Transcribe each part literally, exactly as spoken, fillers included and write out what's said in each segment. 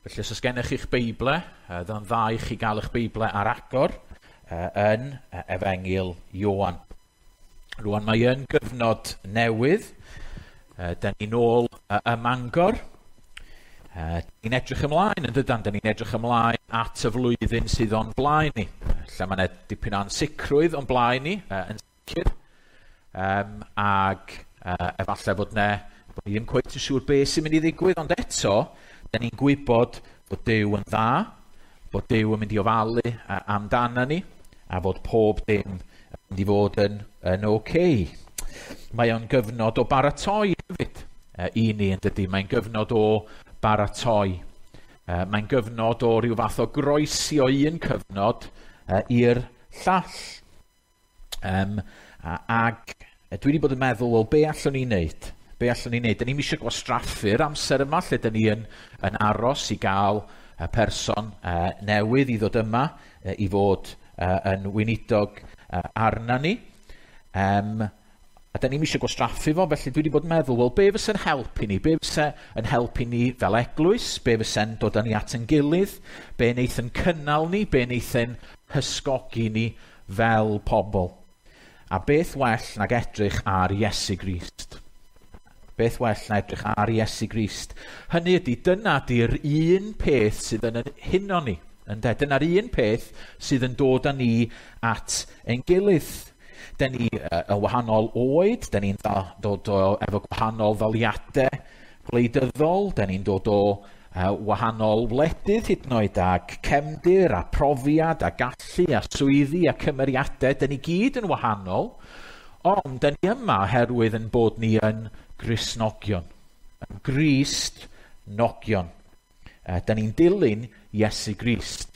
Felly os oes gennych chi'ch Beible, dda'n dda i chi gael eich Beible ar agor yn Efengyl Ioan. Rwan mae yn gyfnod newydd. Da ni'n ôl ym Mangor. Ni'n edrych ymlaen yn dydan, da ni'n edrych ymlaen at y flwyddyn sydd o'n blaen ni. Lle mae yna dipyn o ansicrwydd o'n blaen ni, yn sicr. Um, ag uh, efallai fod ne, bod ni ddim cweit yn siŵr beth sy'n mynd i ddigwydd, ond eto, da ni'n gwybod bod Duw yn dda, bod Duw yn mynd i ofalu amdana ni, a fod pob dim yn mynd i fod yn, yn oce. Mae o'n gyfnod o baratoi hefyd i ni, yn dydy. Mae'n gyfnod o baratoi. Mae'n gyfnod o ryw fath o groesi o un cyfnod i'r llall. Um, ag dwi wedi bod yn meddwl, wel, be allwn ni wneud? Be allwn ni wneud? Da ni'm eisiau gwastraffu'r amser yma lle da ni yn, yn aros i gael y person uh, newydd i ddod yma, uh, i fod uh, yn weinidog uh, arna ni. Um, a da ni'm eisiau gwastraffu fo, felly dwi wedi bod yn meddwl, wel, be fysa'n helpu ni? Be fysa yn helpu ni fel eglwys? Be fysa'n dod â ni at yn gilydd? Be wneith yn cynnal ni? Be wneith yn hysgogi ni fel pobl? A beth well nag edrych ar Iesu Grist? Beth well na edrych ar Iesu Grist? Hynny ydy, dyna di'r un peth sydd yn huno ni. Ynde? Dyna'r un peth sydd yn dod â ni at ein gilydd. Da ni uh, yn wahanol oed, da ni'n dod o efo gwahanol ddaliadau gwleidyddol, da ni'n dod o uh, wahanol wledydd hyd yn oed, ag cefndir a profiad a gallu a swyddi a cymeriadau. Da ni gyd yn wahanol, ond da ni yma oherwydd yn bod ni yn Gristnogion, yn Gristnogion. Uh, da ni'n dilyn Iesu Grist.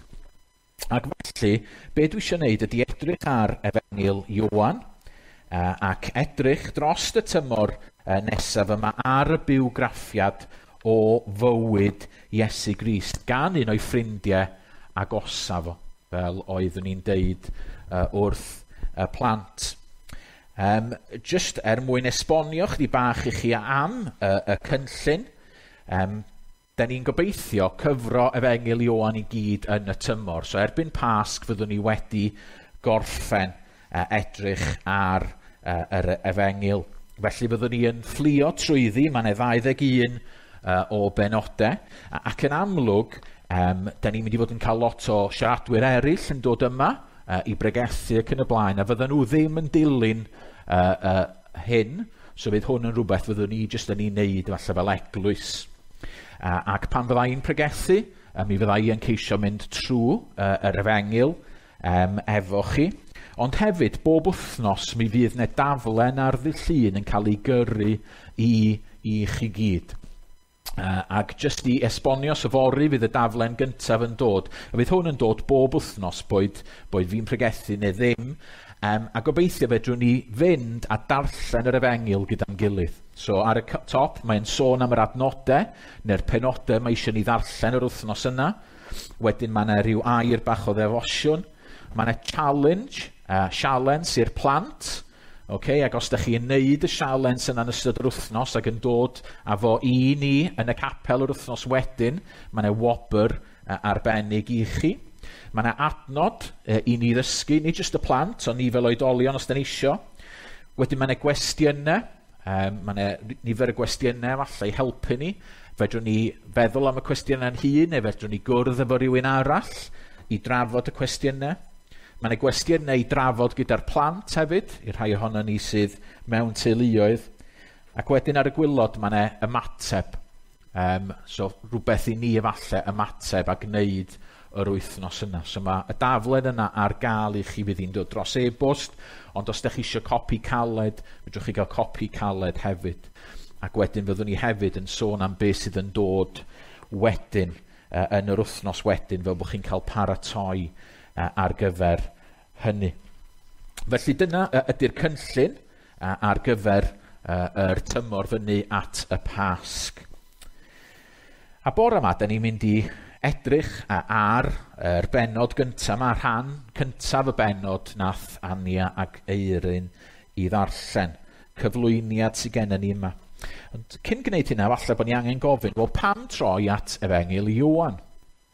Ac felly, be dwi eisiau gwneud ydy edrych ar Efengyl Ioan uh, ac edrych dros y tymor uh, nesaf yma ar y bywgraffiad o fywyd Iesu Grist gan un o'i ffrindiau agosaf fo, fel oeddwn ni'n deud uh, wrth y plant. Um, just er mwyn esbonio chdi bach i chi am uh, y cynllun, um, da ni'n gobeithio cyfro Efengyl Ioan i gyd yn y tymor. So erbyn Pasg fyddwn ni wedi gorffen uh, edrych ar uh, yr Efengyl. Felly fyddwn ni yn fflio trwyddi, mae yna ddau ddeg un uh, o benodau, ac yn amlwg, um, da ni'n mynd i fod yn cael lot o siaradwyr eraill yn dod yma uh, i bregethu ac yn y blaen, a fydden nhw ddim yn dilyn uh, uh, hyn, so fydd hwn yn rhywbeth fyddwn ni jyst yn ei wneud falle fel eglwys. Uh, ac pan fydda i'n pregethu, uh, mi fydda i yn ceisio mynd trwy uh, yr Efengyl um, efo chi. Ond hefyd, bob wythnos mi fydd 'na daflen ar ddydd Llun yn cael ei gyrru i, i chi gyd. Uh, ac jyst i esbonio, so fory fydd y daflen gyntaf yn dod. A fydd hwn yn dod bob wythnos, boed, boed fi'n pregethu neu ddim. Um, a gobeithio fedrwn ni fynd a darllen yr Efengyl gyda'n gilydd. So ar y top mae'n sôn am yr adnodau neu'r penodau mae eisiau ni ddarllen yr wythnos yna. Wedyn mae yna rhyw air bach o ddefosiwn. Mae yna challenge, uh, sialens i'r plant. Okay, ac os da chi'n neud y sialens yna yn ystod yr wythnos ac yn dod â fo i ni yn y capel yr wythnos wedyn, mae yna wobr uh, arbennig i chi. Mae yna adnod uh, i ni ddysgu, nid jyst y plant, ond ni fel oedolion os da ni isio. Wedyn mae yna gwestiynau, um, mae yna nifer o gwestiynau falle i helpu ni. Fedrwn ni feddwl am y cwestiynau'n hun, neu fedrwn ni gwrdd efo rhywun arall i drafod y cwestiynau. Mae yna gwestiynau i drafod gyda'r plant hefyd, i'r rhai ohono ni sydd mewn teuluoedd. Ac wedyn ar y gwylod mae yna ymateb. Um, so rhywbeth i ni efallai ymateb a gwneud yr wythnos yna. So mae y daflen yna ar gael i chi, fydd hi'n dod dros e-bost, ond os ydych chi eisiau copi caled, fedrwch chi gael copi caled hefyd. Ac wedyn fyddwn ni hefyd yn sôn am beth sydd yn dod wedyn, uh, yn yr wythnos wedyn, fel bod chi'n cael paratoi uh, ar gyfer hynny. Felly dyna uh, ydy'r cynllun uh, ar gyfer uh, yr tymor fyny at y Pasg. A bore yma, da ni'n mynd i edrych ar yr bennod gyntaf, mae rhan cyntaf y bennod nath Ania ac Eirin i ddarllen. Cyflwyniad sydd gennym ni yma. Ond cyn gwneud hynna, falle bod ni angen gofyn, wel, pam troi at Efengyl Ioan?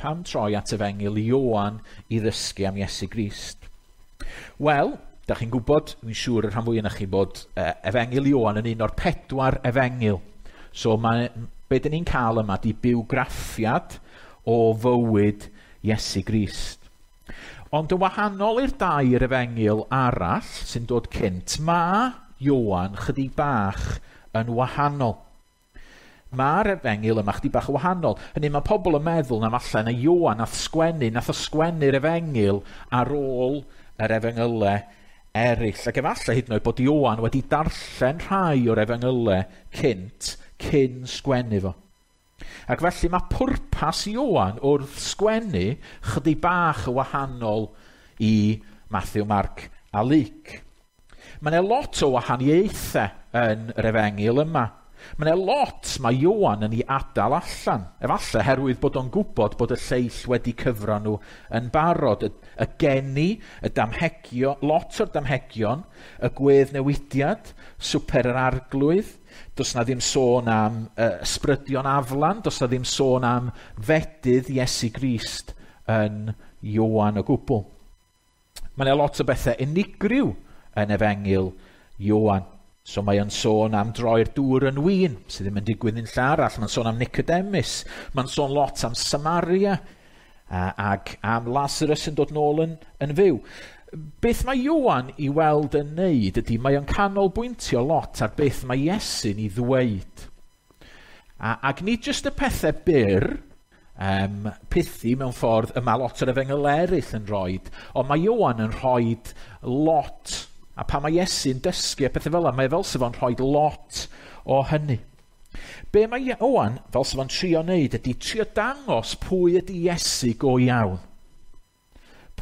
Pam troi at Efengyl Ioan i ddysgu am Iesu Grist? Wel, da chi'n gwybod, dwi'n siŵr y rhan fwy yna chi bod uh, Efengyl Ioan yn un o'r pedwar efengyl. So mae, be dyn ni'n cael yma di bywgraffiad o fywyd Iesu Grist. Ond yn wahanol i'r dair efengyl arall sy'n dod cynt, mae Ioan chydig bach yn wahanol. Mae'r efengyl yma chydig bach yn wahanol. Hynny, mae pobl yn meddwl na falle na Ioan nath sgwennu, nath o sgwennu'r efengyl ar ôl yr efengylau eraill. Ac efallai hyd yn oed bod Ioan wedi darllen rhai o'r efengylau cynt, cyn sgwennu fo. Ac felly mae pwrpas Ioan wrth sgwennu chydig bach yn wahanol i Matthew, Mark a Luke. Mae yna lot o wahaniaethau yn yr efengyl yma. Mae yna lot mae Ioan yn ei adael allan. Efallai herwydd bod o'n gwybod bod y lleill wedi cyfro nhw yn barod. Y, y geni, y damhegio, lot o'r damhegion, y gweddnewidiad, swper yr arglwydd. Does na ddim sôn am uh, ysbrydion aflan, does na ddim sôn am fedydd Iesu Grist yn Ioan o gwbl. Mae yna lot o bethau unigryw yn Efengyl Ioan. So mae o'n sôn am droi'r dŵr yn win, sydd ddim yn digwydd yn lle arall. Mae'n sôn am Nicodemus, mae'n sôn lot am Samaria, a, ac am Lazarus yn dod nôl yn, yn fyw. Beth mae Ioan i weld yn neud ydy mae o'n canolbwyntio lot ar beth mae Iesu'n ei ddweud. A, ac nid jyst y pethau byr, um, pithy mewn ffordd y mae lot o'r efengyl eraill yn rhoid, ond mae Ioan yn rhoid lot. A pan mae Iesu'n dysgu a pethau fel yna, mae fel sef o'n rhoi lot o hynny. Be mae Ioan fel sef o'n trio wneud ydy trio dangos pwy ydy Iesu go iawn.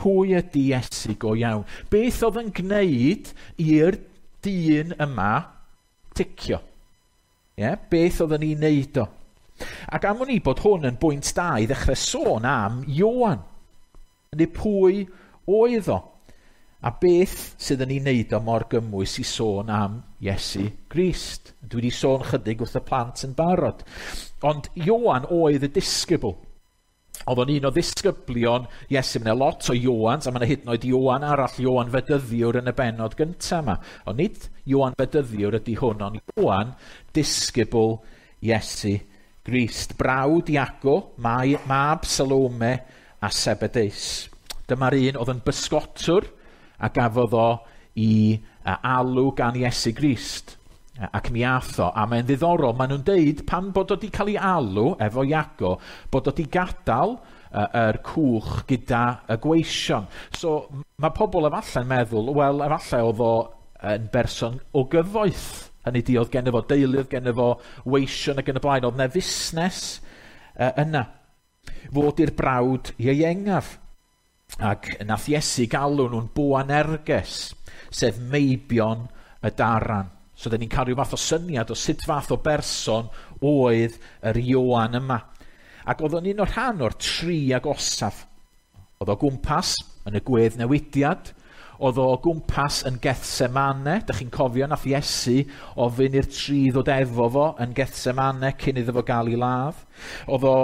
Pwy ydy Iesu go iawn? Beth oedd yn gwneud i'r dyn yma ticio? Yeah? Beth oedd yn ei wneud o? Ac am wn i bod hwn yn bwynt da i ddechrau sôn am Ioan. Neu pwy oedd o? A beth sydd yn ei wneud o mor gymwys i sôn am Iesu Grist? Dwi wedi sôn chydig wrth y plant yn barod. Ond Ioan oedd y disgybl. Oedd o'n un o ddisgyblion Iesu. Mae yna lot o Ioans, a mae yna hyd yn oed Ioan arall, Ioan Fedyddiwr yn y bennod gyntaf yma. Ond nid Ioan Fedyddiwr ydy hwn, ond Ioan disgybl Iesu Grist. Brawd Iago, mab Salome a Sebedeus. Dyma'r un oedd yn bysgotwr a gafodd o i alw gan Iesu Grist. Ac mi ath o, a mae'n ddiddorol, maen nhw'n deud pan bod o wedi cael ei alw efo Iago, bod o wedi gadael yr cwch gyda y gweision. So mae pobl efallai'n meddwl, wel, efallai oedd o yn berson o gyfoeth. Hynny di, oedd genno fo deulu, oedd genno fo weision ac yn y blaen, oedd 'na fusnes yna. Fod i'r brawd ieuengaf. Ac nath Iesu galw nhw'n Boanerges, sef meibion y daran. So dyn ni'n cael rhyw fath o syniad o sut fath o berson oedd yr Ioan yma. Ac oedd o'n un o'r rhan o'r tri agosaf. Oedd o gwmpas yn y gweddnewidiad, oedd o gwmpas yn Gethsemane. Dych chi'n cofio nath Iesu ofyn i'r tri ddod efo fo yn Gethsemane cyn iddo fo gael ei ladd. Oedd o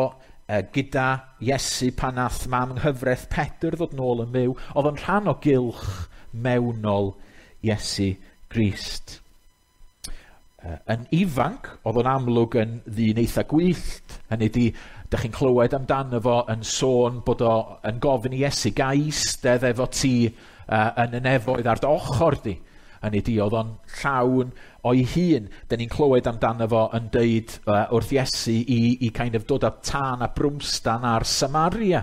gyda Iesu pan nath mam yng nghyfraith Pedr ddod nôl yn fyw. Oedd o'n rhan o gylch mewnol Iesu Grist. Yn ifanc, oedd o'n amlwg yn ddyn eitha gwyllt. Hynny di, dych chi'n clywed amdano fo yn sôn bod o yn gofyn i Iesu, ga i eistedd efo ti uh, yn y nefoedd ar dy ochr di. Hynny di, oedd o'n llawn o'i hun. Dyn ni'n clywed amdano fo yn deud uh, wrth Iesu i, i kind of dod â tân a brwmstan ar Samaria.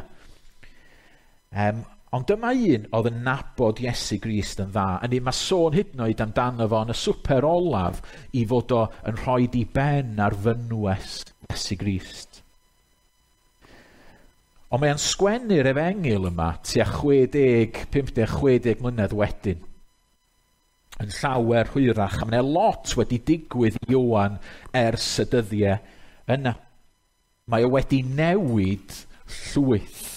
Um, ond dyma un oedd yn nabod Iesu Grist yn dda. Hynny, mae sôn hyd yn oed amdano fo yn y swper olaf i fod o yn rhoi di ben ar fynwes Iesu Grist. Ond mae'n sgwennu'r efengyl yma tua chwe deg, pump deg, chwe deg mlynedd wedyn. Yn llawer hwyrach, a mae'n lot wedi digwydd i Ioan ers y dyddiau yna. Mae o wedi newid llwyth.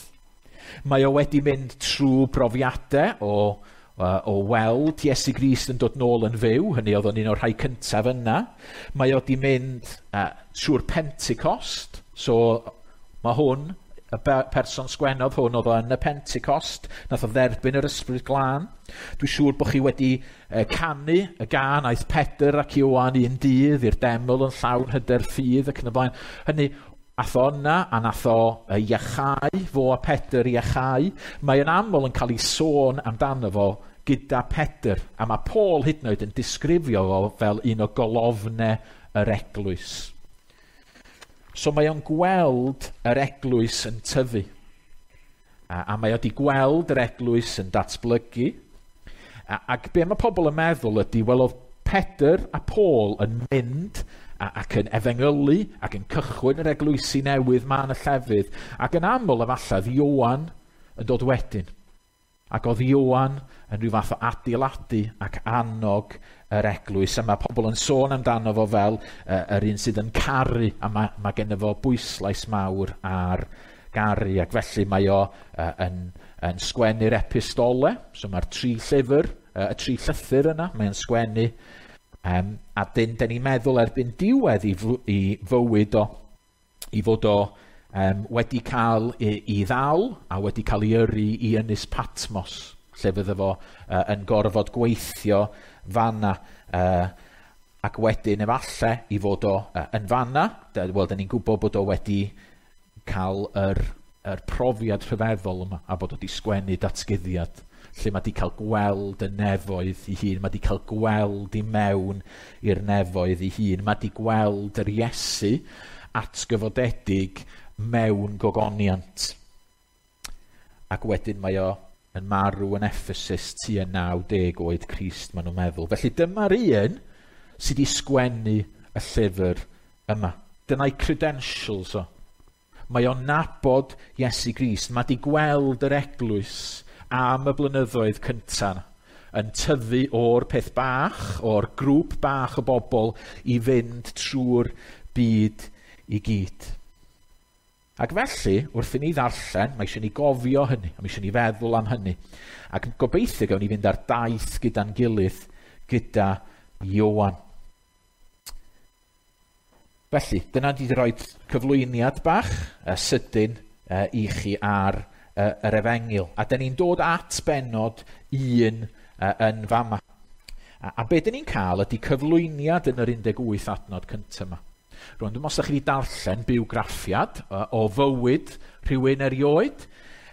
Mae o wedi mynd trwy brofiadau o, o weld Iesu Grist yn dod nôl yn fyw, hynny oedd o'n un o'r rhai cyntaf yna. Mae o di mynd uh, trwy'r Pentecost, so mae hwn, y person sgwennodd hwn oedd o yn y Pentecost, nath o dderbyn yr Ysbryd Glân. Dwi'n siŵr bod chi wedi uh, canu y gân aeth Pedr ac Ioan un dydd i'r deml yn llawn hyder ffydd ac yn y blaen. Hynny, ath o yna a nath o iachau, fo a Pedr iachau. Mae yn aml yn cael ei sôn amdano fo gyda Pedr, a mae Paul hyd yn oed yn disgrifio fo fel un o golofnau yr eglwys. So mae o'n gweld yr eglwys yn tyfu. A, a mae o wedi gweld yr eglwys yn datblygu. A, ac be mae pobl yn meddwl ydy, wel oedd Pedr a Paul yn mynd a, ac yn efengylu ac yn cychwyn yr eglwysi newydd ma yn y llefydd. Ac yn aml efallai oedd Ioan yn dod wedyn. Ac oedd Ioan yn rhyw fath o adeiladu ac annog yr eglwys. A mae pobl yn sôn amdano fo fel uh, yr un sydd yn caru, a mae, mae genno fo bwyslais mawr ar garu. Ac felly mae o uh, yn, yn sgwennu'r epistole, so mae'r tri llyfr, uh, y tri llythyr yna, mae'n sgwennu. Um, a dyn, dyn ni'n meddwl erbyn diwedd i, i fywyd o, i fod o um, wedi cael i, i ddal a wedi cael ei yrru i Ynys Patmos, lle fydde fo uh, yn gorfod gweithio fanna, uh, ac wedyn efallai i fod o uh, yn fanna, wel, dyn ni'n gwybod bod o wedi cael yr, yr profiad rhyfeddol yma, a bod o wedi sgwennu datguddiad, lle mae wedi cael gweld y nefoedd ei hun, mae wedi cael gweld i mewn i'r nefoedd ei hun, mae wedi gweld yr Iesu atgyfodedig mewn gogoniant. Ac wedyn mae o yn marw yn Ephesus tua naw deg oed Crist, maen nhw'n meddwl. Felly dyma'r un sydd wedi sgwennu y llyfr yma. Dyna'i credentials o. Mae o'n nabod Iesu Grist. Mae wedi gweld yr eglwys am y blynyddoedd cyntaf yn tyfu o'r peth bach, o'r grŵp bach o bobl i fynd trwy'r byd i gyd. Ac felly, wrth i ni ddarllen, mae eisiau ni gofio hynny, a mae eisiau ni feddwl am hynny. Ac gobeithio gawn ni fynd ar daith gyda'n gilydd, gyda Ioan. Felly, dyna di rhoi cyflwyniad bach, uh, sydyn, uh, i chi ar uh, yr efengyl. A dyn ni'n dod at bennod un uh, yn fama. A, a be dyn ni'n cael ydy cyflwyniad yn yr un deg wyth adnod cyntaf yma. Rwan, dwi'n meddwl os ydych chi wedi darllen bywgraffiad o fywyd rhywun erioed,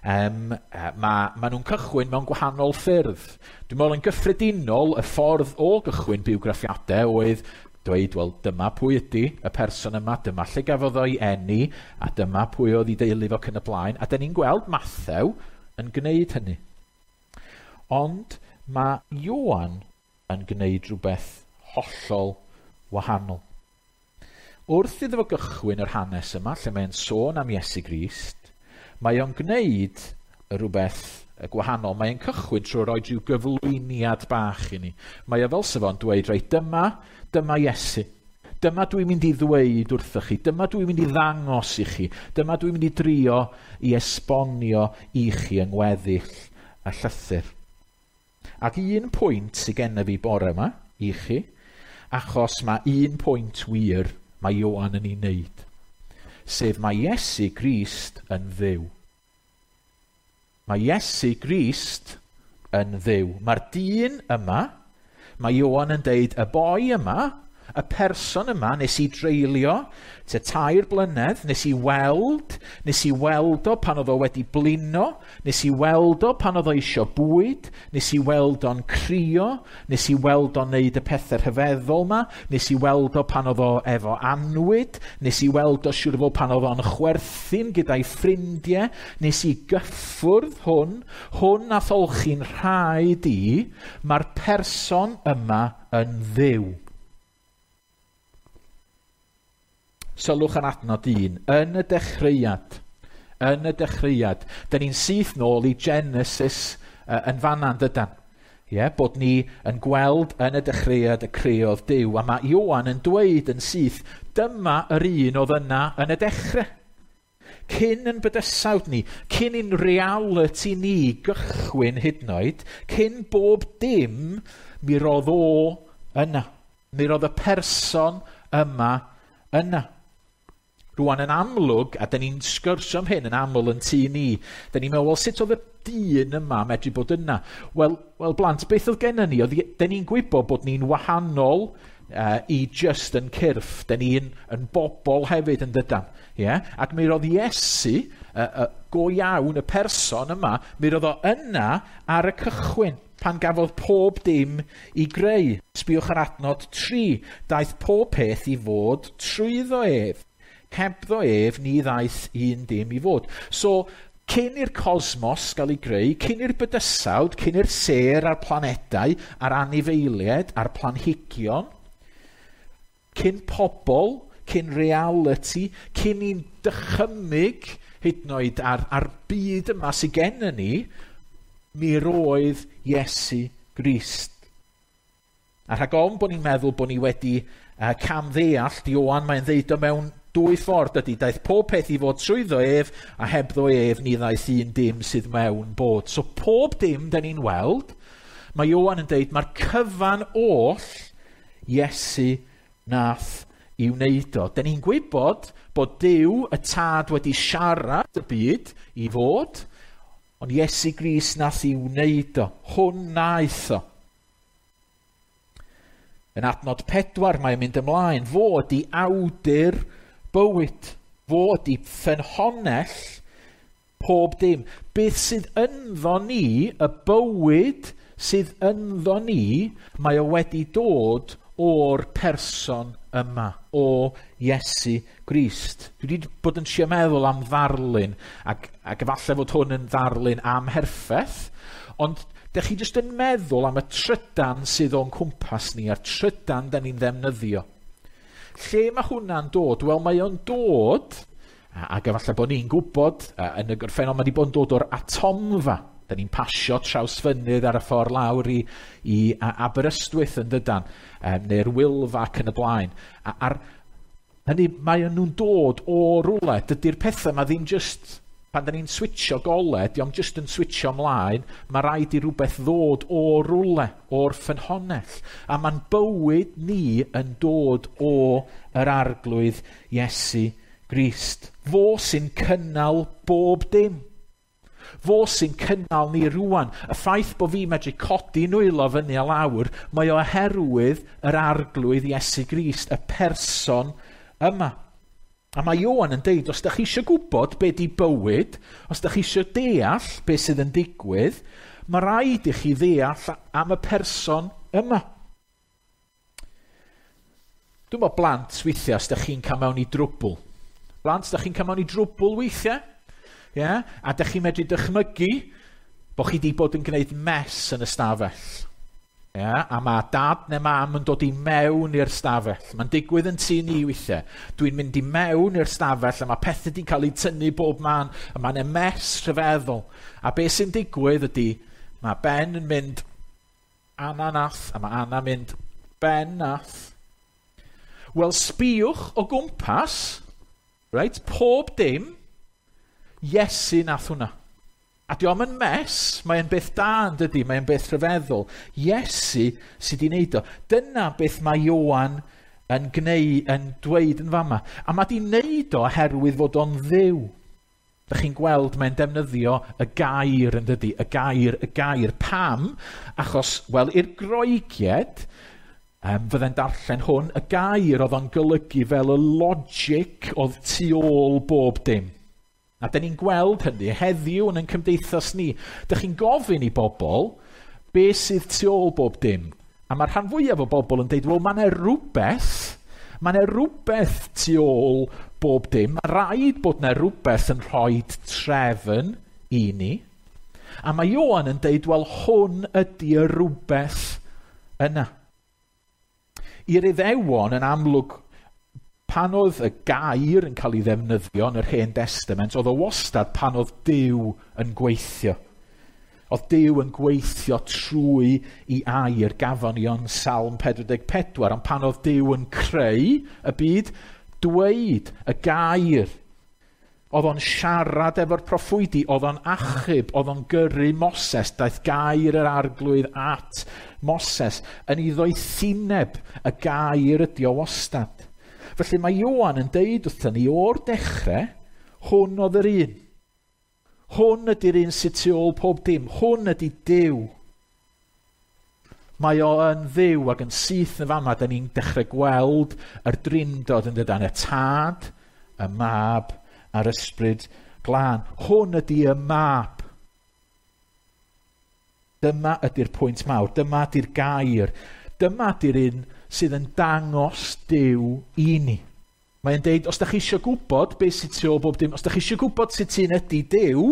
um, ma, ma nhw'n cychwyn mewn gwahanol ffyrdd. Dwi'n meddwl yn gyffredinol, y ffordd o gychwyn bywgraffiadau oedd dweud, wel, dyma pwy ydy y person yma, dyma lle gafodd o'i eni, a dyma pwy oedd ei deulu fo cyn y blaen. A dyn ni'n gweld Mathew yn gwneud hynny. Ond mae Ioan yn gwneud rhywbeth hollol wahanol. Wrth iddo fo gychwyn yr hanes yma, lle mae'n sôn am Iesu Grist, mae o'n gwneud rhywbeth gwahanol. Mae'n cychwyn trwy roi rhyw gyflwyniad bach i ni. Mae o fel sef o'n dweud, reit, dyma, dyma Iesu. Dyma dwi'n mynd i ddweud wrthych chi. Dyma dwi'n mynd i ddangos i chi. Dyma dwi'n mynd i drio i esbonio i chi yng ngweddill y llythyr. Ac un pwynt sydd gennyf fi bore yma i chi, achos mae un pwynt wir mae Ioan yn ei wneud, sef mae Iesu Grist yn Dduw. Mae Iesu Grist yn Dduw. Mae'r dyn yma, mae Ioan yn deud, y boi yma, y person yma nes i dreulio tua tair blynedd, nes i weld, nes i weld o pan oedd o wedi blino, nes i weld o pan oedd o isio bwyd, nes i weld o'n crio, nes i weld o'n neud y pethau rhyfeddol ma, nes i weld o pan oedd o efo anwyd, nes i weld o siŵr o fod pan oedd o'n chwerthin gyda'i ffrindiau, nes i gyffwrdd hwn, hwn nath olchi'n rhaid i, mae'r person yma yn Dduw. Sylwch yn adnod un, yn y dechreuad, yn y dechreuad. Dyn ni'n syth nôl i Genesis uh, yn fanna, dydan. Ie, bod ni yn gweld yn y dechreuad y creodd Duw. A mae Ioan yn dweud yn syth, dyma yr un oedd yna yn y dechrau. Cyn yn bydysawd ni, cyn i'n reality ni gychwyn hyd yn oed, cyn bob dim, mi roedd o yna. Mi roedd y person yma yna. Rwan yn amlwg, a da ni'n sgwrsio am hyn yn aml yn tŷ ni, da ni'n meddwl, wel, sut oedd y dyn yma medru bod yna? Wel, wel blant, beth oedd gennym ni? Oedd, da ni'n gwybod bod ni'n wahanol uh, i just yn cyrff. Da ni'n yn bobl hefyd yn dydan. Yeah? Ac mi roedd Iesu, uh, uh, go iawn, y person yma, mi roedd o yna ar y cychwyn, pan gafodd pob dim i greu. Sbiwch ar adnod tri. Daeth pob peth i fod trwyddo ef. Hebddo ef, ni ddaeth un dim i fod. So, cyn i'r cosmos gael ei greu, cyn i'r bydysawd, cyn i'r sêr a'r planedau, a'r anifeiliaid, a'r planhigion, cyn pobl, cyn reality, cyn i'n dychymyg hyd yn oed ar, ar byd yma sydd gennym ni, mi roedd Iesu Grist. A rhag ofn bod ni'n meddwl bod ni wedi uh, camddeall, Ioan mae'n ddeud o mewn dwy ffordd ydy, daeth pob peth i fod trwyddo ef, a hebddo ef ni ddaeth un dim sydd mewn bod. So pob dim da ni'n weld, mae Ioan yn deud, mae'r cyfan oll Iesu nath i wneud o. Da ni'n gwybod bod Duw y Tad wedi siarad y byd i fod, ond Iesu Grist nath i wneud o. Hwn naeth o. Yn adnod pedwar mae'n mynd ymlaen, fod i awdur bywyd, fod i ffynhonnell pob dim. Beth sydd ynddo ni, y bywyd sydd ynddo ni, mae o wedi dod o'r person yma, o Iesu Grist. Dwi wedi bod yn trio meddwl am ddarlun, ac, ac efallai fod hwn yn ddarlun amherffaith, ond dych chi jyst yn meddwl am y trydan sydd o'n cwmpas ni, a'r trydan da ni'n ddefnyddio. Lle mae hwnna'n dod? Wel, mae o'n dod, ac efallai bod ni'n gwybod, yn y gorffennol mae wedi bod yn dod o'r atomfa. Da ni'n pasio Trawsfynydd ar y ffordd lawr i, i Aberystwyth yn dydan, um, neu'r Wylfa ac yn y blaen. A, ar, hynny, mae nhw'n dod o rwle. Dydy'r pethau ma ddim just, pan da ni'n switcho gole, di o'm just yn switcho ymlaen, mae rhaid i rhywbeth ddod o rwle, o'r ffynhonnell. A mae'n bywyd ni yn dod o yr Arglwydd Iesu Grist. Fo sy'n cynnal bob dim. Fo sy'n cynnal ni rwan. Y ffaith bod fi medru codi nwylo fyny a lawr, mae oherwydd yr Arglwydd Iesu Grist, y person yma. A mae Ioan yn deud, os da chi eisiau gwybod be di bywyd, os da chi eisiau deall be sydd yn digwydd, mae rhaid i chi ddeall am y person yma. Dwi'n meddwl blant weithiau os da chi'n cael mewn i drwbl. Blant, da chi'n cael mewn i drwbl weithiau? Yeah? A da chi'n medru dychmygu bod chi wedi bod yn gwneud mess yn y stafell. Yeah? A mae dad neu mam yn dod i mewn i'r stafell. Mae'n digwydd yn tŷ ni weithiau. Dwi'n mynd i mewn i'r stafell a mae pethau wedi cael eu tynnu bob man a mae'n e mess rhyfeddol. A beth sy'n digwydd ydy, mae Ben yn mynd Anna nath, a mae Anna mynd Ben nath. Wel, sbïwch o gwmpas, right, pob dim, Iesu nath hwnna. A di o'm yn mess, mae'n beth da yn dydi, mae'n beth rhyfeddol. Iesu sydd wedi wneud o. Dyna beth mae Ioan yn gneu, yn dweud yn fama. A mae di wneud o oherwydd fod o'n Dduw. Dych chi'n gweld mae'n defnyddio y gair yn dydi, y gair, y gair. Pam? Achos, wel, i'r Groegiaid, um, fydde'n darllen hwn, y gair oedd o'n golygu fel y logic oedd tu ôl bob dim. A da ni'n gweld hynny heddiw yn ein cymdeithas ni. Dych chi'n gofyn i bobl be sydd tu ôl bob dim. A mae'r rhan fwyaf o bobl yn deud, wel, mae yna rhywbeth, mae yna rhywbeth tu ôl bob dim. Mae rhaid bod yna rhywbeth yn rhoi trefn i ni. A mae Ioan yn deud, wel, hwn ydy y rhywbeth yna. I'r Iddewon yn amlwg, pan oedd y gair yn cael ei ddefnyddio yn yr Hen Testament, oedd o wastad pan oedd Duw yn gweithio. Oedd Duw yn gweithio trwy i air, gafon ni o'n Salm pedwar deg pedwar, ond pan oedd Duw yn creu y byd, dweud y gair. Oedd o'n siarad efo'r proffwydi, oedd o'n achub, oedd o'n gyrru Moses, daeth gair yr arglwydd at Moses, yn ei ddoethineb y gair ydi o wastad. Felly mae Ioan yn deud wrthyn ni o'r dechrau, hwn oedd yr un. Hwn ydy'r un sydd tu ôl pob dim. Hwn ydy Duw. Mae o yn Dduw ac yn syth yn fama, da ni'n dechrau gweld yr drindod yn dydan, y Tad, y Mab a'r Ysbryd Glân. Hwn ydy y Mab. Dyma ydy'r pwynt mawr. Dyma ydy'r gair. Dyma ydy'r un sydd yn dangos Duw i ni. Mae'n deud, os da chi eisiau gwybod beth sydd tu ôl bob dim, os da chi eisiau gwybod sut un ydy Duw,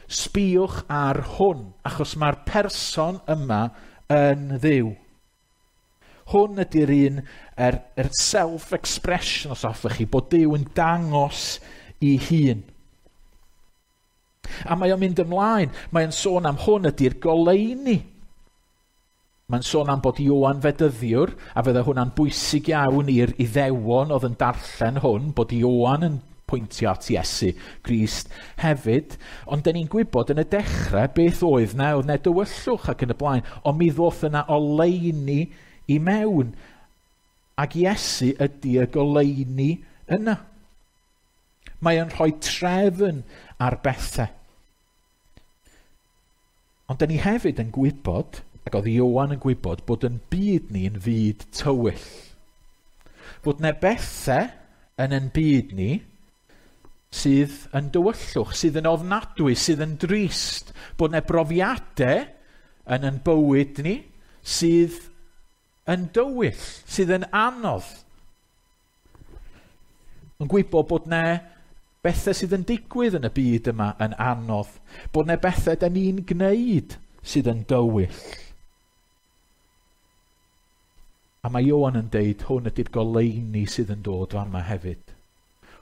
sbïwch ar hwn, achos mae'r person yma yn Dduw. Hwn ydy'r un, yr, yr self-expression, os hoffech chi, bod Duw yn dangos i hun. A mae o'n mynd ymlaen, mae'n sôn am hwn ydy'r goleuni. Mae'n sôn am bod Ioan Fedyddiwr, a fydde hwnna'n bwysig iawn i'r Iddewon oedd yn darllen hwn, bod Ioan yn pwyntio at Iesu Grist hefyd. Ond dyn ni'n gwybod yn y dechrau beth oedd na, oedd na dywyllwch ac yn y blaen, ond mi ddoth yna oleuni i mewn. Ac Iesu ydy y goleuni yna. Mae o'n rhoi trefn ar bethau. Ond dyn ni hefyd yn gwybod, ac oedd Ioan yn gwybod, bod yn byd ni yn fyd tywyll. Fod na bethau yn yn byd ni sydd yn dywyllwch, sydd yn ofnadwy, sydd yn drist. Bod na brofiadau yn yn bywyd ni sydd yn dywyll, sydd yn anodd. Yn gwybod bod na bethau sydd yn digwydd yn y byd yma yn anodd. Bod na bethau da ni'n gwneud sydd yn dywyll. A mae Ioan yn deud, hwn ydy'r goleuni sydd yn dod fama hefyd.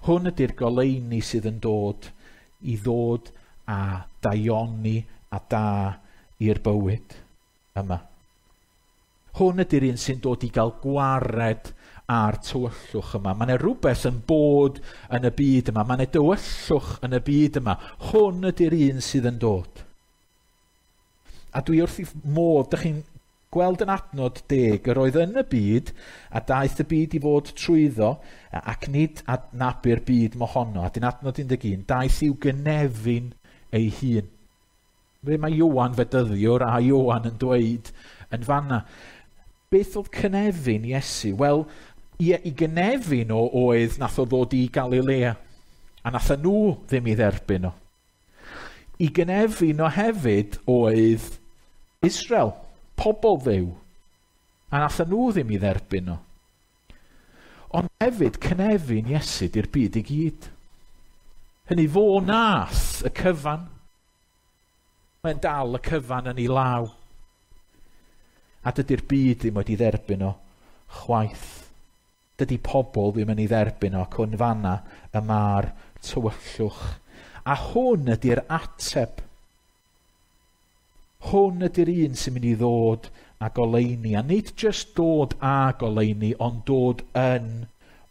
Hwn ydy'r goleuni sydd yn dod i ddod a daioni a da i'r bywyd yma. Hwn ydy'r un sy'n dod i gael gwared a'r tywyllwch yma. Mae yna rhywbeth yn bod yn y byd yma. Mae yna dywyllwch yn y byd yma. Hwn ydy'r un sydd yn dod. A dwi wrth i modd, dych chi'n gweld yn adnod deg, yr oedd yn y byd, a daeth y byd i fod trwyddo, ac nid adnabu'r byd mohono. A dyn adnod un deg un, daeth i'w gynefin ei hun. Fe mae Ioan Fedyddiwr a Ioan yn dweud yn fanna. Beth oedd cynefin Iesu? Wel, i, i gynefin o oedd nath o ddod i Galilea, a nath nhw ddim i dderbyn o. I gynefin o hefyd oedd Israel, pobl Dduw, a nath nhw ddim i dderbyn o. Ond hefyd cynefin Iesu di'r byd i gyd. Hynny fo nath y cyfan. Mae'n dal y cyfan yn ei law. A dydy'r byd ddim wedi dderbyn o chwaith. Dydy pobl ddim yn ei dderbyn o, ac yn fanna y mae'r tywyllwch. A hwn ydy'r ateb. Hwn ydy'r un sy'n mynd i ddod a goleuni. A nid just dod a goleuni, ond dod yn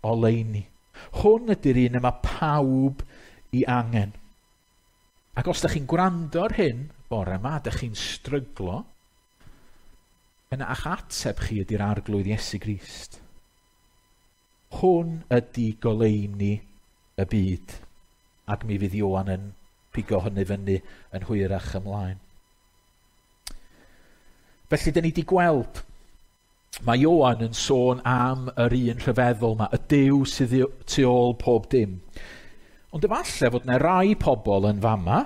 oleuni. Hwn ydy'r un yma pawb i angen. Ac os ydych chi'n gwrando ar hyn bore yma, ydych chi'n stryglo, yna a'ch ateb chi ydy'r Arglwydd Iesu Grist. Hwn ydy goleuni y byd. Ac mi fydd Ioan yn pigo hynny fyny yn hwyrach ymlaen. Felly, dyn ni wedi gweld, mae Ioan yn sôn am yr un rhyfeddol yma, y Duw sydd tu ôl pob dim. Ond efallai fod yna rai pobl yn fama,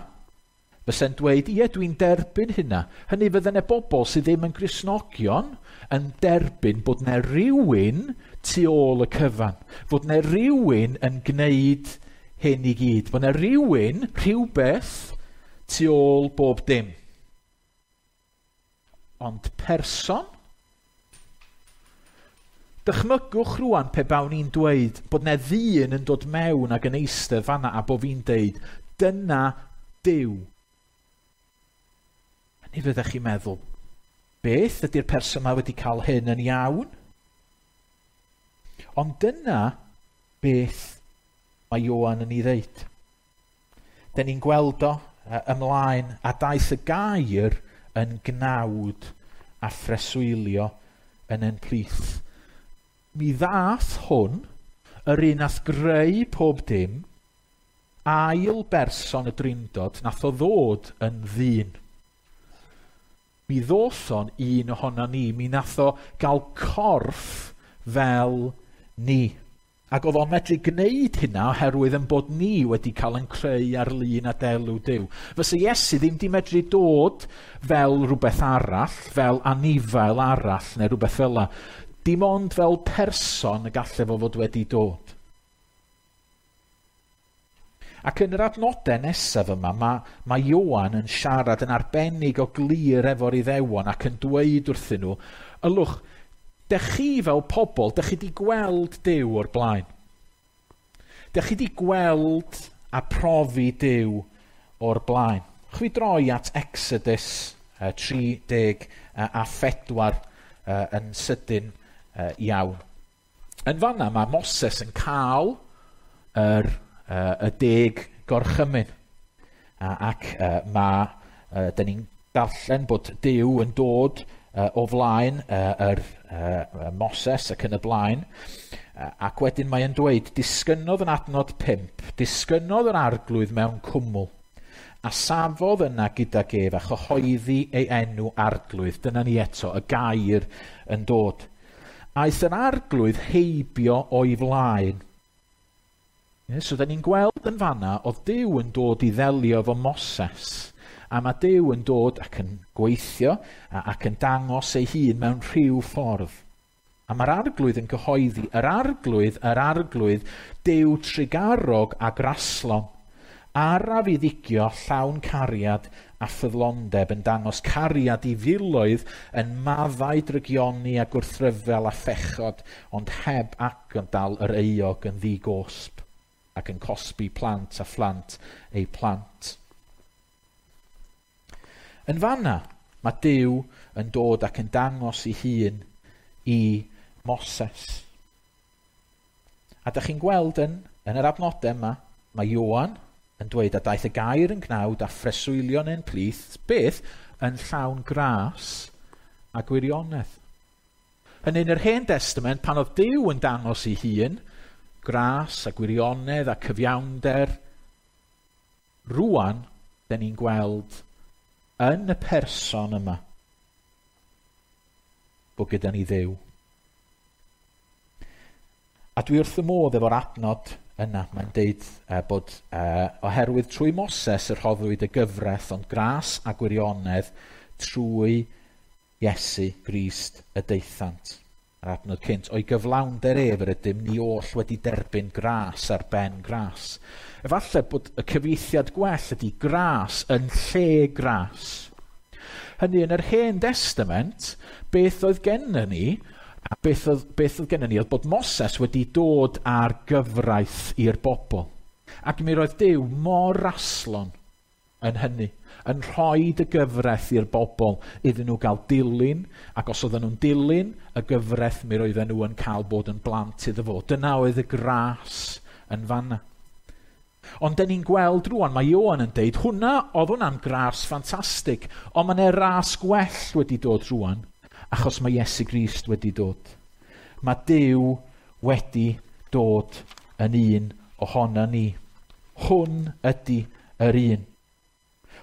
fysa'n dweud, ie, dwi'n derbyn hynna. Hynny fydde yna bobl sydd ddim yn Gristnogion yn derbyn bod yna rhywun tu ôl y cyfan. Fod yna rhywun yn gwneud hyn i gyd. Bod yna rhywun, rhywbeth, tu ôl bob dim. Ond person? Dychmygwch rwan pe bawn i'n dweud bod yna ddyn yn dod mewn ac yn eistedd fanna a bo fi'n deud, dyna Duw. Ni fyddech chi'n meddwl, beth ydy'r person yma wedi cael hyn yn iawn? Ond dyna beth mae Ioan yn ei ddeud. dyn ni'n gweld o ymlaen, a daeth y gair yn gnawd a phreswylio yn ein plith. Mi ddath hwn, yr un nath greu pob dim, ail berson y Drindod, nath o ddod yn ddyn. Mi ddoth o'n un ohono ni, mi nath o gael corff fel ni. Ac oedd o'n medru gwneud hynna oherwydd yn bod ni wedi cael yn creu ar lun a delw Duw. Fysa Iesu ddim di medru dod fel rhywbeth arall, fel anifail arall neu rhywbeth fel 'na. Dim ond fel person y gallai fo fod wedi dod. Ac yn yr adnodau nesaf yma, mae, mae Ioan yn siarad yn arbennig o glir efo'r Iddewon ac yn dweud wrthyn nhw, ylwch, dech chi fel pobl, dech chi di gweld Duw o'r blaen. Dech chi di gweld a profi Duw o'r blaen. Chwi droi at Exodus tri deg a phedwar yn sydyn iawn. Yn fanna mae Moses yn cael yr, y deg gorchymyn. Ac mae, dyn ni'n darllen bod Duw yn dod o flaen yr Moses ac yn y blaen. Ac wedyn mae'n dweud, disgynnodd yn adnod pump, disgynnodd yr arglwydd mewn cwmwl, a safodd yna gydag ef a chyhoeddi ei enw arglwydd. Dyna ni eto, y gair yn dod. Aeth yr arglwydd heibio o'i flaen. So, da ni'n gweld yn fanna, oedd Duw yn dod i ddelio efo Moses. A mae Duw yn dod ac yn gweithio ac yn dangos ei hun mewn rhyw ffordd. A mae'r arglwydd yn cyhoeddi, yr arglwydd, yr arglwydd, Duw trugarog a graslon, araf i ddigio llawn cariad a ffyddlondeb, yn dangos cariad i filoedd, yn maddau drygioni a gwrthryfel a phechod, ond heb agdal yr euog yn ddigosb, ac yn cosbi plant a phlant eu plant. Yn fanna, mae Duw yn dod ac yn dangos ei hun i Moses. A dych chi'n gweld yn, yn yr adnodau yma, mae Ioan yn dweud a daeth y gair yn gnawd a phreswylio yn ein plith, beth? Yn llawn gras a gwirionedd. Yn un yr Hen Testament, pan oedd Duw yn dangos ei hun, gras a gwirionedd a cyfiawnder, rŵan, dyn ni'n gweld yn y person yma bod gyda ni Dduw. A dwi wrth y modd efo'r adnod yna. Mae'n deud uh, bod uh, oherwydd trwy Moses y rhoddwyd y gyfraith, ond gras a gwirionedd trwy Iesu Grist y daethant. Yr adnod cynt, o'i gyflawnder ef yr ydym ni oll wedi derbyn gras ar ben gras. Efallai bod y cyfieithiad gwell ydy gras yn lle gras. Hynny yn yr Hen Testament, beth oedd gennym ni, a beth oedd, beth oedd gennym ni oedd bod Moses wedi dod â'r gyfraith i'r bobl. Ac mi roedd Duw mor raslon yn hynny, yn rhoi y gyfraith i'r bobl iddyn nhw gael dilyn, ac os oedden nhw'n dilyn y gyfraith, mi roedden nhw yn cael bod yn blant iddo fo. Dyna oedd y gras yn fanna. Ond dyn ni'n gweld rŵan, mae Ioan yn deud, hwnna, oedd hwnna'n gras ffantastig, ond mae 'na ras gwell wedi dod rŵan, achos mae Iesu Grist wedi dod. Mae Duw wedi dod yn un ohono ni. Hwn ydy yr un.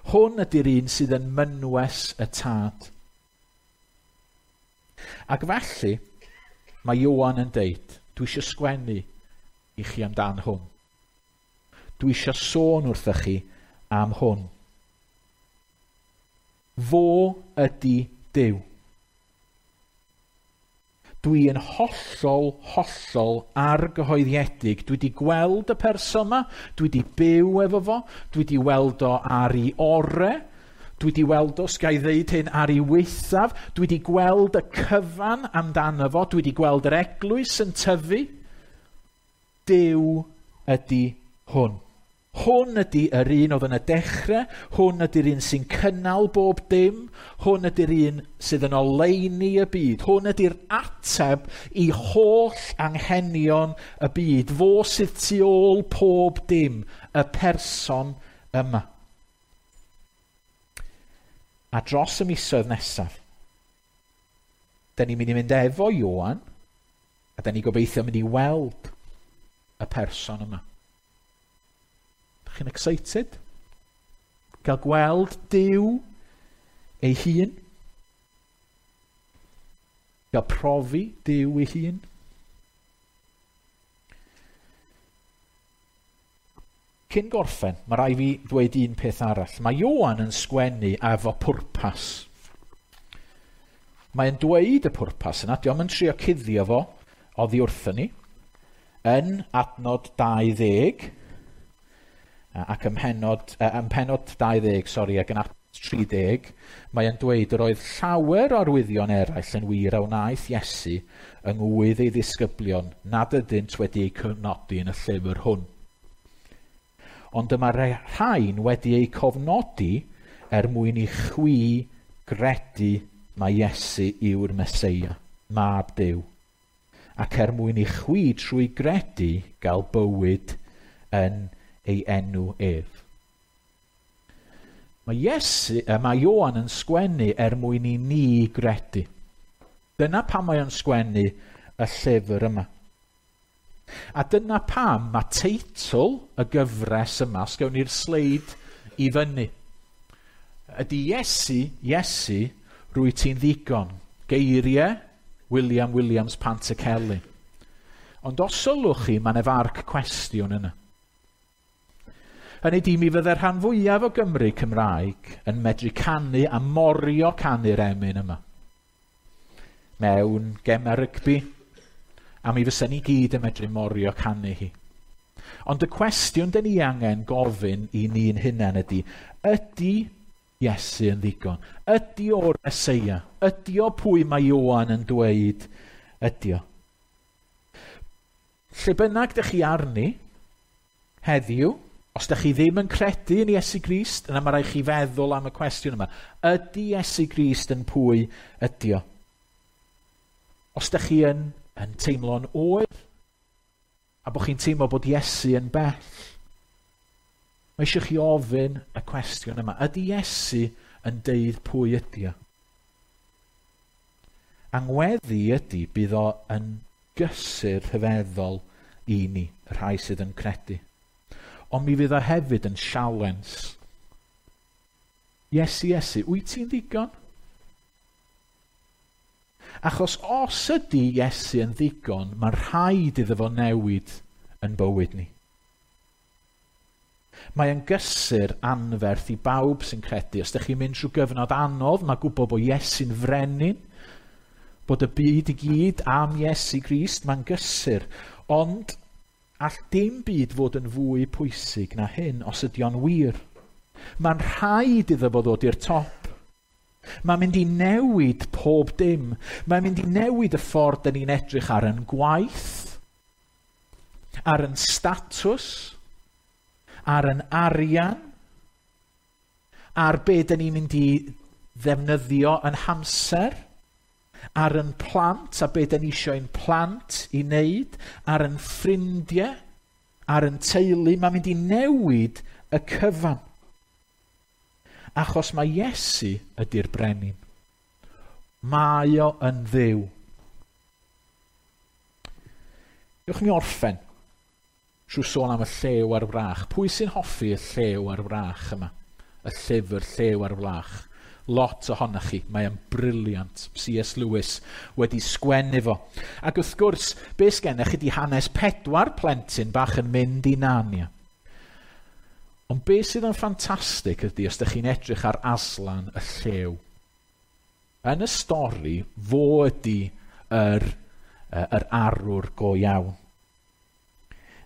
Hwn ydy'r un sydd yn mynwes y tad. Ac felly, mae Ioan yn deud, dwi eisiau sgwennu i chi amdan hwn. Dwi eisiau sôn wrthych chi am hwn. Fo ydy Duw. Dwi yn hollol, hollol argyhoeddiedig. Dwi wedi gweld y person yma, dwi wedi byw efo fo, dwi wedi weld o ar ei ore, dwi wedi weld o, sgai ddeud hyn, ar ei waethaf, dwi wedi gweld y cyfan amdano fo, dwi wedi gweld yr eglwys yn tyfu. Duw ydy hwn. Hwn ydy yr un oedd yn y dechrau, hwn ydy'r un sy'n cynnal bob dim, hwn ydy'r un sydd yn oleuni y byd, hwn ydy'r ateb i holl anghenion y byd, fo sydd tu ôl pob dim, y person yma. A dros y misoedd nesaf, da ni'n mynd i mynd efo Ioan, a da ni gobeithio mynd i weld y person yma. Dych chi'n excited? Gael gweld Duw ei hun? Gael profi Duw ei hun? Cyn gorffen, mae rai fi ddweud un peth arall. Mae Ioan yn sgwennu efo pwrpas. Mae'n dweud y pwrpas yna, dio'm yn trio cuddio fo oddi wrthyn ni. Yn adnod dau ddeg, ac ym mhennod, ym mhennod dau ddeg, sori, ac yn adnod tri deg, mae'n dweud yr oedd llawer o arwyddion eraill yn wir a wnaeth Iesu yng ngwydd ei ddisgyblion nad ydynt wedi eu cofnodi yn y llyfr hwn. Ond dyma rhain wedi eu cofnodi er mwyn i chwi gredu mai Iesu yw'r Meseia, mab Duw, ac er mwyn i chwi trwy gredu gael bywyd yn ei enw ef. Mae Iesu, mae Ioan yn sgwennu er mwyn i ni gredu. Dyna pam mae o'n sgwennu y llyfr yma. A dyna pam mae teitl y gyfres yma, os gawn ni'r sleid i fyny, ydy Iesu, Iesu, rwy ti'n ddigon. Geiriau William Williams Pantycelyn. Ond os sylwch chi, mae 'na farc cwestiwn yna. Hynny ydi, mi fydde'r rhan fwyaf o Gymru Cymraeg yn medru canu a morio canu'r emyn yma. Mewn gemau rygbi, a mi fysa ni gyd yn medru morio canu hi. Ond y cwestiwn dyn ni angen gofyn i ni'n hunain ydy, ydy Iesu yn ddigon? Ydy o'r Meseia? Ydy o pwy mae Ioan yn dweud ydy o? Lle bynnag dych chi arni heddiw, os dych chi ddim yn credu yn Iesu Grist, yna mae rhaid chi feddwl am y cwestiwn yma. Ydy Iesu Grist yn pwy ydy o? Os dych chi yn, yn teimlo'n oer, a bod chi'n teimlo bod Iesu yn bell, mae eisiau chi ofyn y cwestiwn yma. Ydy Iesu yn deud pwy ydy o? Angweddi ydy bydd o yn gysur rhyfeddol i ni, y rhai sydd yn credu. Ond mi fydd o hefyd yn sialens. Iesu, Iesu, wyt ti'n ddigon? Achos os ydy Iesu yn ddigon, mae'n rhaid iddo fo newid yn bywyd ni. Mae yn gysur anferth i bawb sy'n credu. Os ydych chi'n mynd trwy gyfnod anodd, mae gwybod bod Iesu'n frenin, bod y byd i gyd am Iesu Grist, mae'n gysur. Ond all dim byd fod yn fwy pwysig na hyn os ydy o'n wir. Mae'n rhaid iddo fo ddod i'r top. Mae'n mynd i newid pob dim. Mae'n mynd i newid y ffordd dyn ni'n edrych ar yn gwaith, ar yn statws, ar yn arian, ar be dyn ni'n mynd i ddefnyddio yn hamser, ar yn plant a be dyn ni eisiau ein plant i wneud, ar yn ffrindiau, ar yn teulu. Mae'n mynd i newid y cyfan. Achos mae Iesu ydy'r brenin. Mae o yn Dduw. Dewch mi orffen trwy sôn am y llew a'r wrach. Pwy sy'n hoffi y llew a'r wrach yma? Y llyfr Llew a'r Wrach. Lot ohonoch chi. Mae o'n brilliant. C S Lewis wedi sgwennu fo. Ac wrth gwrs, be sgennech chi di hanes pedwar plentyn bach yn mynd i Narnia. Ond be sydd yn ffantastig ydy os ydych chi'n edrych ar Aslan y llew. Yn y stori, fo ydy yr, yr arwr go iawn.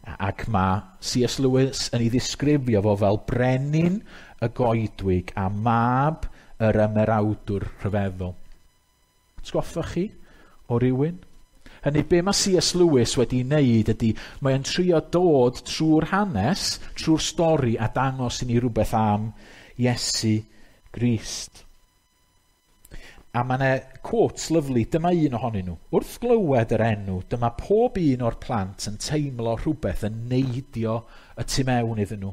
Ac mae C S Lewis yn ei ddisgrifio fo fel brenin y goedwig a mab yr ymerawdwr rhyfeddol. Atgoffa chi o rywun? Hynny, be mae C S Lewis wedi wneud ydy, mae'n trio dod trwy'r hanes, trwy'r stori a dangos i ni rhywbeth am Iesu Grist. A mae yna quotes lyfli, dyma un ohonyn nhw. Wrth glywed yr enw, dyma pob un o'r plant yn teimlo rhywbeth yn neidio y tu mewn iddyn nhw.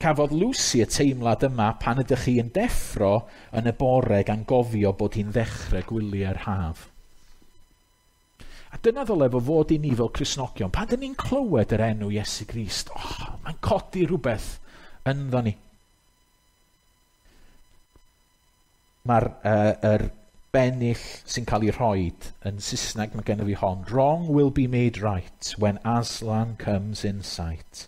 Cafodd Lucy y teimlad yma pan ydych chi yn deffro yn y bore gan gofio bod hi'n ddechrau gwyliau'r haf. A dyna ddyle fo fod i ni fel Cristnogion. Pan dyn ni'n clywed yr enw Iesu Grist, oh, mae'n codi rhywbeth ynddo ni. Mae'r uh, er bennill sy'n cael ei rhoid yn Saesneg, mae gennym fi hon. Wrong will be made right when Aslan comes in sight.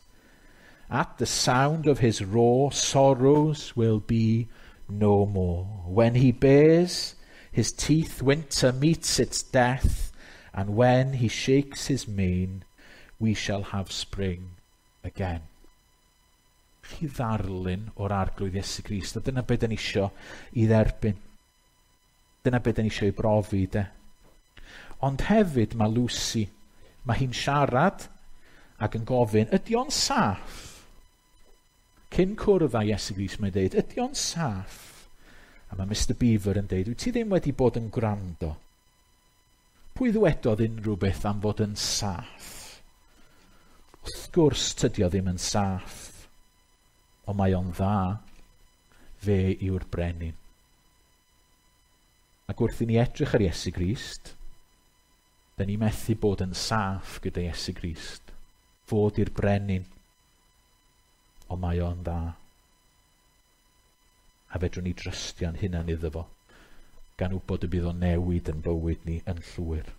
At the sound of his roar, sorrows will be no more. When he bares his teeth, winter meets its death, and when he shakes his mane, we shall have spring again. Chi ddarlun o'r Arglwydd Iesu Grist, a dyna beth dyn ni isio i dderbyn. Dyna beth dyn ni isio i brofi, de. Ond hefyd mae Lucy, mae hi'n siarad ac yn gofyn, ydy o'n saff? Cyn cwrdd â Iesu Grist, mae'n dweud, ydy o'n saff? A mae Mister Beaver yn dweud, wyt ti ddim wedi bod yn gwrando? Pwy ddwedodd unrhyw beth am fod yn saff? Wrth gwrs, tydi o ddim yn saff, ond mae o'n dda. Fe yw'r brenin. Ac wrth i ni edrych ar Iesu Grist, da ni methu bod yn saff gyda Iesu Grist. Fod i'r brenin, ond mae o'n dda. A fedrwn ni drystio'n hunan iddo fo, gan wybod y bydd o'n newid yn bywyd ni yn llwyr.